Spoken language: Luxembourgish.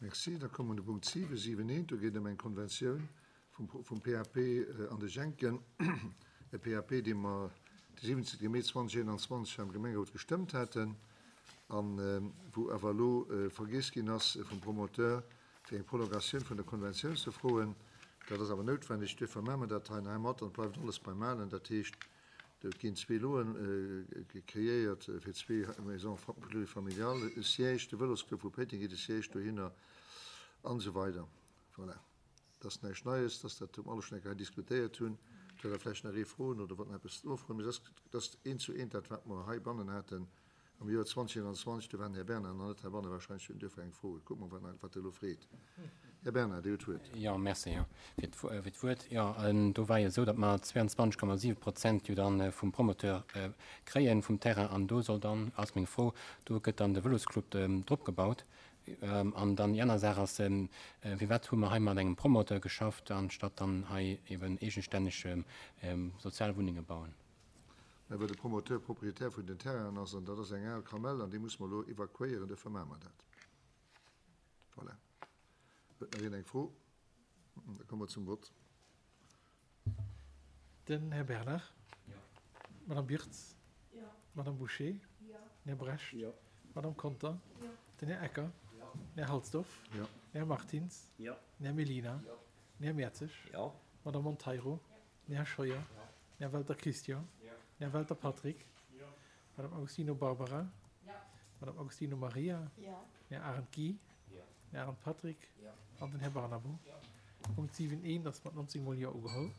Merci. Da komme mer un de Punkt 7, 7 eent. Do geet et ëm eng Konventioun vum PAP an de Jenken. E PAP, dee mer de 17 Mee 2021 hei am Gemengerot gestëmmt haten a wou awer elo vergiess ginn ass vum Promoteur, fir eng Prolongatioun vun der Konventioun ze froen. Dat ass awer noutwenneg. Duerfir maache mer dat hei heimat an et bleift alles beim Alen. Dat heescht, et ginn zwee Loen kreéiert fir zwee Maisons plurifamiliales, e Siège, de Vëlosclub vu Péiteng kritt e Siège dohinner an esou weider. Voilà. Dat ass näischt Neies, dass dat hu mer alle schonn eng Kéier hei diskutéiert hunn. Et huet awer vläicht nach ee Froen oder wollt nach eppes nofroen. Mee dat ass eent zu eent dat, wat mer heibannen haten am Joer 2021. Do war den Här Bernard nach net heibannen, wahrscheinlech huet en duerfir eng Fro. Kucke mer, wat wat e elo freet. Här Bernard, Dir hutt d'Wuert. Jo, merci fir d'Wuert. Jo, do war jo esou, datt mer 22,7 Prozent jo dann vum Promoteur kréien, vum Terrain. An do soll dann, ass meng Fro, do gëtt dann de Vëlosclub drop gebaut. An dann déi aner Saach ass, Firwat hu mer hei mat engem Promoteur geschafft, anstatt dann hei eben eegestänneg sozial Wunnenge bauen? Mä well de Promoteur Proprietär vun den Terrainen ass, an dat ass eng al Kamell, an déi musse mer elo evakuéieren, duerfir maache mer dat. Voilà. Huet nach een eng Fro? Da komme mer zum Vott. Den Här Bernard. Jo. D'Madame Birtz. Jo. D'Madame Bouché. Jo. Den Här Brecht. Jo. D'Madame Conter. Jo. Den Här Ecker. Jo. Den Här Halsdorf. Jo. Den Här Martins. Jo. Den Här Mellina. Jo. Den Här Mertzig. Jo. D'Madame Monteiro. Jo. Den Här Scheuer. Jo. Den Här Welter Christian. Jo. Den Här Welter Patrick. Jo. D'Madame Agostino Barbara. Jo. D'Madame Agostino Maria. Jo. Den Här Arendt Guy. Den Här Arendt Patrick. An den Här Barnabo. Punkt 7 eent ass mat 19 mol Jo ugeholl.